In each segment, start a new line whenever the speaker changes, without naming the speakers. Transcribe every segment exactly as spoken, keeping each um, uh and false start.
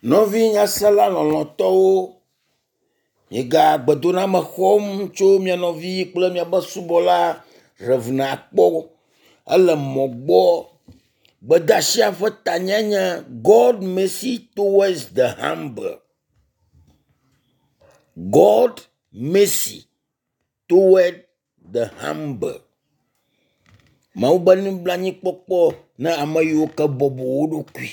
Nɔvi nyasela lɔlɔ̃tɔwo, miega gbedoname xɔm tso mia nɔvi kple miaƒe subɔla Rev. Akpɔ ele mɔ gbɔ. Gbedeasia ƒe tanyae nye God mercy towards the humble. God mercy toward the humble. Mawu be nublanuikpɔkpɔ na ame yiwo ke bɔbɔ wo ɖokui.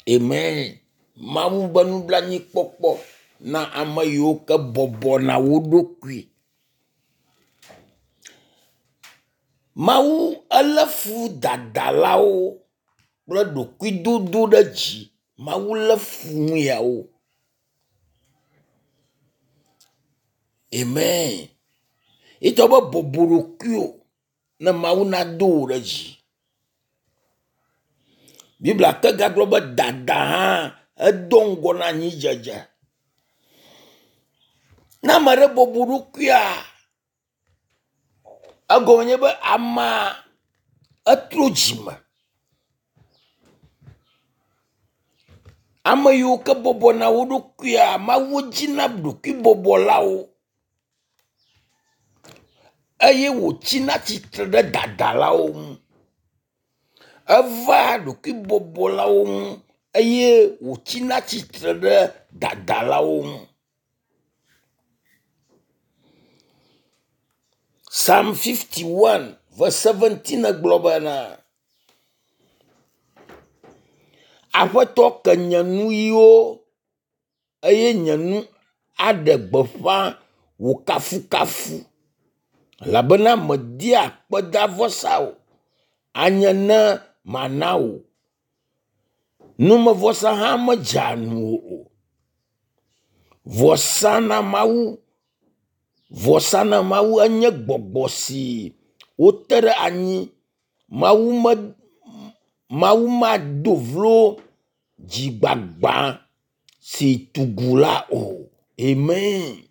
Amen. Mawu be nublanuikpɔkpɔ na ame yiwo ke bɔbɔna wo ɖokui. Mawu elé fu dadalawo kple ɖokuidodoɖedzi. Mawu lé fu nu yawo. Amen. Yetɔ be bɔbɔ ɖokuiwò ne Mawu nado wò ɖe dzi. Biblia ke gagblɔ be dada hã edo ŋgɔ na anyidzedze. Ne ame aɖe bɔbɔ ɖokuia, egɔme nye be amea etrɔ dzime. Ame yiwo ke bɔbɔna wo ɖokuia, Mawu dzina ɖokuibɔbɔlawo eye wòtsina tsitre ɖe dadalawo ŋu. Evea ɖokuibɔbɔlawo ŋu eye wòtsina tsitre ɖe dadalawo ŋu. Psalm fifty one verse seventeen gblɔ bena, Aƒetɔ ke nye nuyiwo eye nye nu aɖe gbeƒã wò kafukafu elabena mèdia akpedavɔsa o, anye ne mana wò. Numevɔsa hã medzea ŋuwò o. Vɔsa na Mawu, vɔsa na Mawu enye gbɔgbɔ si wote ɖe anyi. Mawu me Mawu mado vlo dzigbagba si tugu la o. Amen.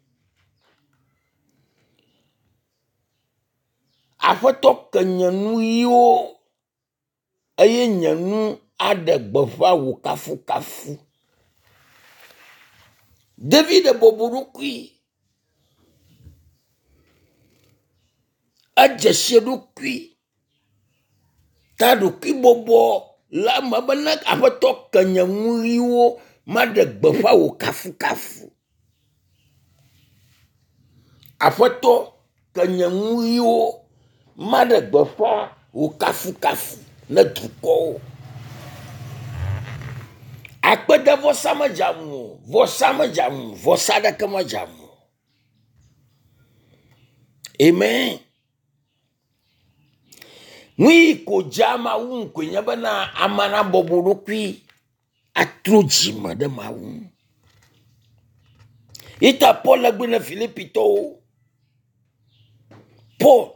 Aƒetɔ ke nye nuyiwo eye nye nu aɖe gbeƒã wò kafukafu. David bɔbɔ ɖokui. Edze si eɖokui ta ɖokuibɔbɔ le eme be ne Aƒetɔ ke nye nuyiwo maɖe gbeƒã wò kafukafu. Aƒetɔ ke nye nuyiwo maɖe gbeƒã wò kafukafu ne dukɔwo. Akpedevɔsa medza ŋu o, vɔsa medza ŋu o, vɔsa aɖeke medza ŋu o. Amen. Nu yi ko dzea Mawu ŋu koe nye bena amea nabɔbɔ ɖokui atrɔ dzime ɖe Mawu ŋu. Yi ta Paul egblɔe na Filipitɔwo. Paul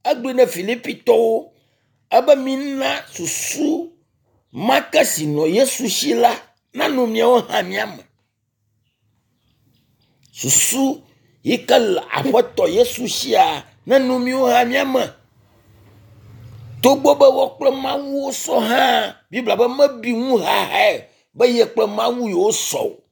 egblɔe na Filipitɔwo ebe mina susu ma ke si nɔ Yesu si la nanɔ miawo hã mia me. Susu yi ke le Aƒetɔ Yesu sia nenɔ miawo hã mia me. Togbɔ be woa kple Mawu wosɔ hã, Biblia be mebi nu hahae be ye kple Mawu yewo sɔ o.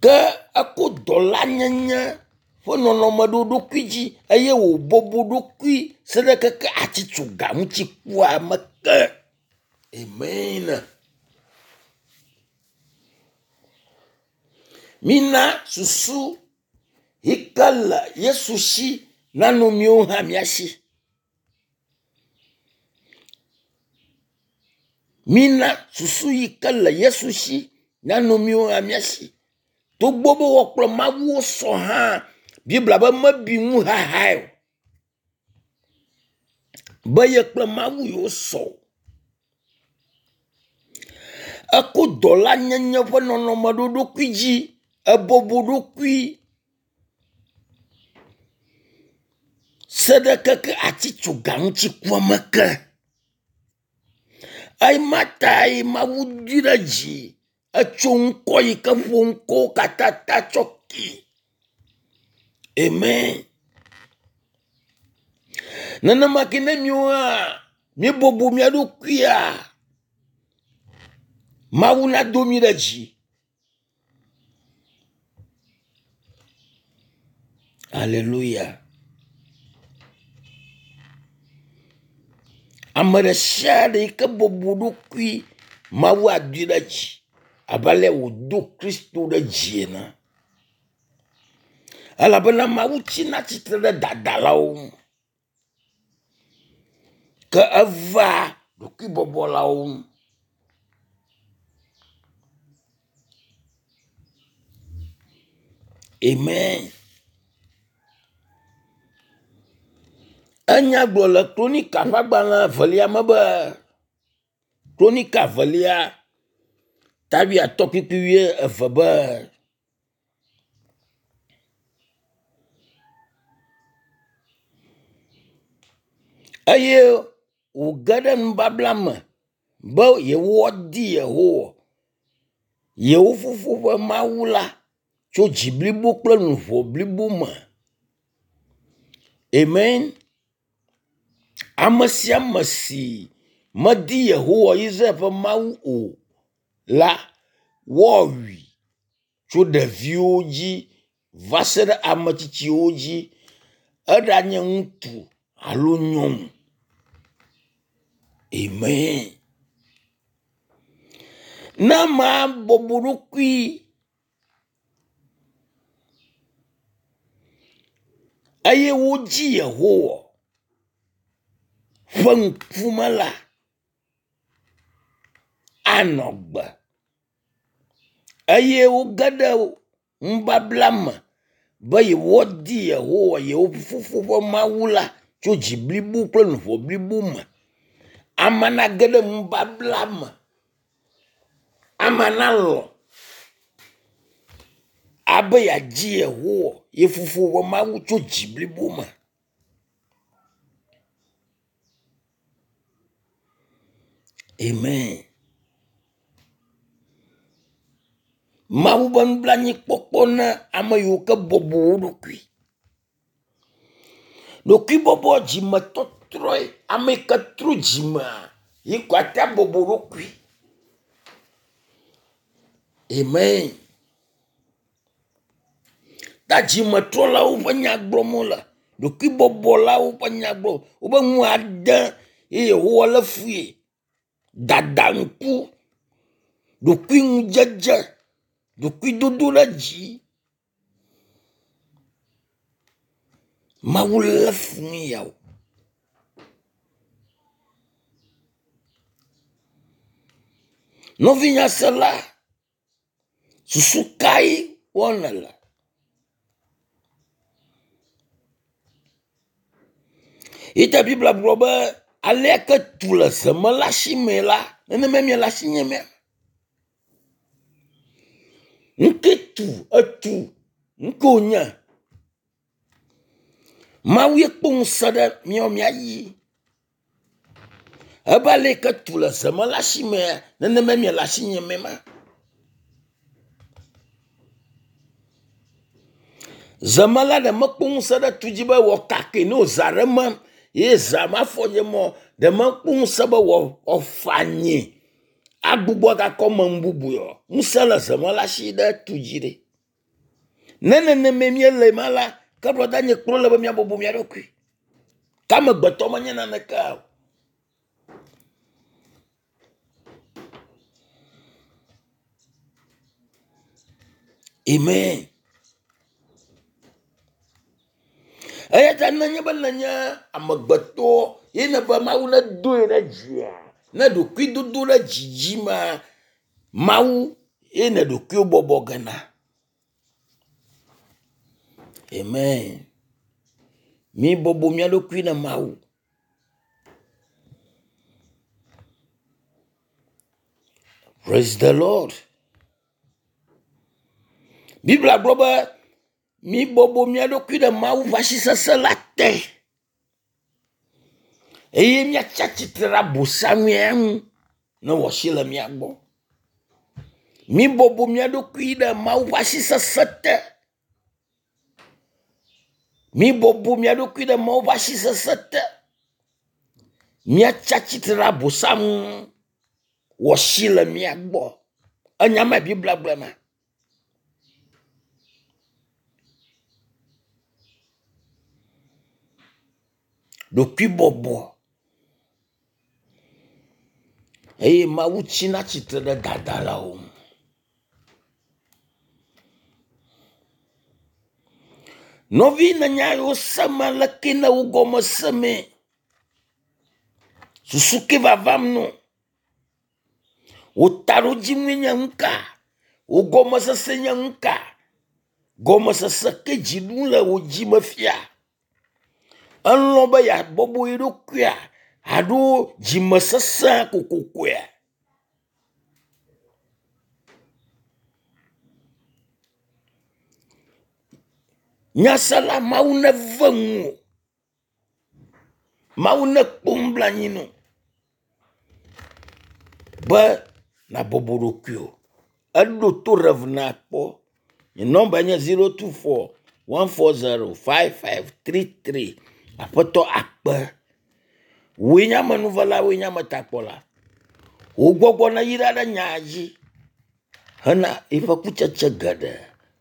Ke eko dɔlanyenye ƒe nɔnɔme ɖo ɖokui dzi eye wòbɔbɔ ɖokui se ɖe keke atitsoga ŋuti kua me ke. Amen. Mina susu yi ke le Yesu si nanɔ miawo hã mia si. Mina susu yi ke le Yesu si nanɔ miawo hã mia si. Togbɔ be woa kple Mawu wosɔ hã, Biblia be mebi nu hahae o. Be ye kple Mawu yewo sɔ o. Eko dɔlanyenye ƒe nɔnɔme ɖo ɖokui dzi, ebɔbɔ ɖokui se ɖe keke atitsoga ŋuti kua me ke. Ema tae Mawu doe ɖe dzi etso ŋkɔ yi ke ƒo ŋkɔwo katã ta tsɔ kee. Amen. Nenema ke ne miwo hã míebɔbɔ mía ɖokuia, Mawu nado mí ɖe dzi. Aleluya. Ame ɖe sia ɖe yi ke bɔbɔ ɖokui, Mawu adoe ɖe dzi abe ale wòdo Kristo ɖe dzi ene. Elabena Mawu tsina tsitre ɖe dadalawo ŋu ke evea ɖokuibɔbɔlawo ŋu. Amen. Enya gblɔ le Kronika ƒe agbalẽ evelia me be Kronika evelia ta wuiatɔ̃ kpukpui wuieve be eye wòge ɖe nubabla me be yewoadi Yehowa, yewo fofo ƒe Mawu la tso dzi blibo kple luʋɔ blibo me. Amen. Ame sia ame si medi Yehowa Israel ƒe Mawu o la, woawui tso ɖeviwo dzi va se ɖe ame tsitsiwo dzi. Eɖanye ŋutsu alo nyɔnu. Amen. Ne amea bɔbɔ ɖokui eye wodzi Yehowa ƒe ŋkume la, anɔ gbe eye woge ɖe nubabla me be yewoadi Yehowa yewo fofo ƒe Mawu la tso dzi blibo kple luʋɔ blibo me. Ame nage ɖe nubabla me. Ame nalɔ̃ abe yeadzi Yehowa ye fofo ƒe Mawu tso dzi blibo me. Amen. Mawu ƒe nublanuikpɔkpɔ na ame yiwo ke bɔbɔ wo ɖokui. Ɖokuibɔbɔ dzimetɔtrɔe. Ame yi ke trɔ dzimea, yi ko ate abɔbɔ ɖokui. Amen. Ta dzimetrɔlawo ƒe nya gblɔm wole. Ɖokuibɔbɔlawo ƒe nya gblɔm. Wobe nu ade ye Yehowa lé fui. Dada ŋku, ɖokuiŋudzedze, ɖokuidodo ɖe dzi. Mawu lé fu nu yawo. Nɔvi nyasela, susu kae wɔm nèle? Yi ta Biblia gblɔ be alea ke tu le zemela si me la, nenema miele asinye mea. Nu ke tu etu, nu ke wònye. Mawu ye kpɔ ŋusẽ ɖe míawo mía dzi. Ebe ale yi ke tu le zemela si mea, nenema miele asinye me ma. Zemela ɖe mekpɔ ŋusẽ ɖe tu dzi be wɔ kake ne wòza ɖe me ye za ma fɔ dze mɔ ɖe mekpɔ ŋusẽ be wɔ wòfa anyi agbugbɔ gakɔ me nu bubu yɔ. Ŋusẽ le zemela si ɖe tu dzi ɖe. Ne nenema míele ma la, ke brɔda nye kplɔ le be míabɔbɔ mía ɖokui. Ke amegbetɔ menye naneke o. Amen. Eya ta nenye be nenye amegbetɔ ye ne be Mawu nedoe ɖe dzia, ne ɖokuidodo ɖe dzi dzi ma, Mawu ye ne ɖokuiwo bɔbɔ gena. Amen. Mi bɔbɔ mía ɖokui na Mawu. Praise the Lord. Biblia gblɔ be mi bɔbɔ mía ɖokui ɖe Mawu ƒe asi sesẽ la te eye míatsi atsitre ɖe abosamia ŋu ne wòasi le mía gbɔ. Mi bɔbɔ mía ɖokui ɖe Mawu ƒe asi sesẽ te. Mibɔbɔ mia ɖokui ɖe Mawu ƒe asi sesẽ te. Miatsi atsitre ɖe abosam ŋu. Wòasi le mia gbɔ. Enya ma Biblia gblɔe ma. Ɖokuibɔbɔ eye Mawu tsina tsitre ɖe dadalawo ŋu. Nɔvi nenya yiwo seme leke ne wo gɔme semee. Susu ke vavam no. Wò taɖodzinue nye nu ka? Wò gɔmesese nye nu ka? Gɔmesese ke dzi ɖum le wò dzi me fia. Elɔ̃ be yeabɔbɔ ye ɖokuia alo dzimesesẽ kokokoea? Nyasela Mawu neve ŋuwò. Mawu nekpɔ nublanui nɔ be nabɔbɔ ɖokuiwò. Eɖo to Rev. Akpɔ. Nye nɔmba nye zero two four one four zero five five three three. Aƒetɔ akpe. Wòe nye amenuvela, wòe nye ametakpɔla. Wò gbɔgbɔ neyra ɖe nya dzi hena eƒe kutsetse geɖe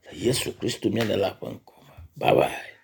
le Yesu Kristo mía Ɖela ƒe ŋkɔ me. Bye bye.